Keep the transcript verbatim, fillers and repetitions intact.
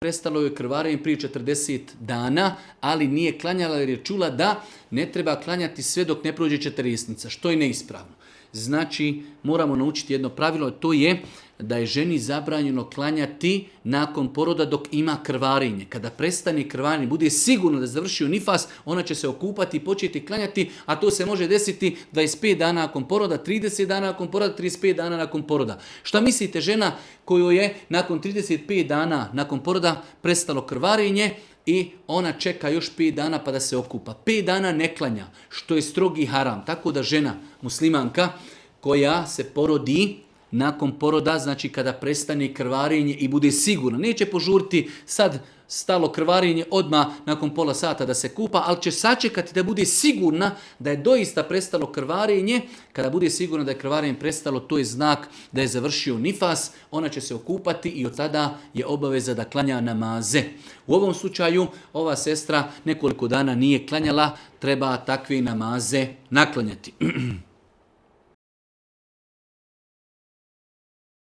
prestalo je krvarenje prije četrdeset dana, ali nije klanjala jer je čula da ne treba klanjati sve dok ne prođe četrdesetnica, što je neispravno. Znači, moramo naučiti jedno pravilo, to je da je ženi zabranjeno klanjati nakon poroda dok ima krvarenje. Kada prestane krvarenje, bude sigurno da završio nifas, ona će se okupati i početi klanjati, a to se može desiti dvadeset pet dana nakon poroda, trideset dana nakon poroda, trideset pet dana nakon poroda. Šta mislite, žena kojoj je nakon trideset pet dana nakon poroda prestalo krvarenje i ona čeka još pet dana pa da se okupa. pet dana ne klanja, što je strogi haram. Tako da žena muslimanka koja se porodi nakon poroda, znači kada prestane krvarenje i bude sigurna, neće požuriti sad stalo krvarenje odmah nakon pola sata da se kupa, ali će sačekati da bude sigurna da je doista prestalo krvarenje. Kada bude sigurna da je krvarenje prestalo, to je znak da je završio nifas, ona će se okupati i od tada je obaveza da klanja namaze. U ovom slučaju ova sestra nekoliko dana nije klanjala, treba takve namaze naklanjati.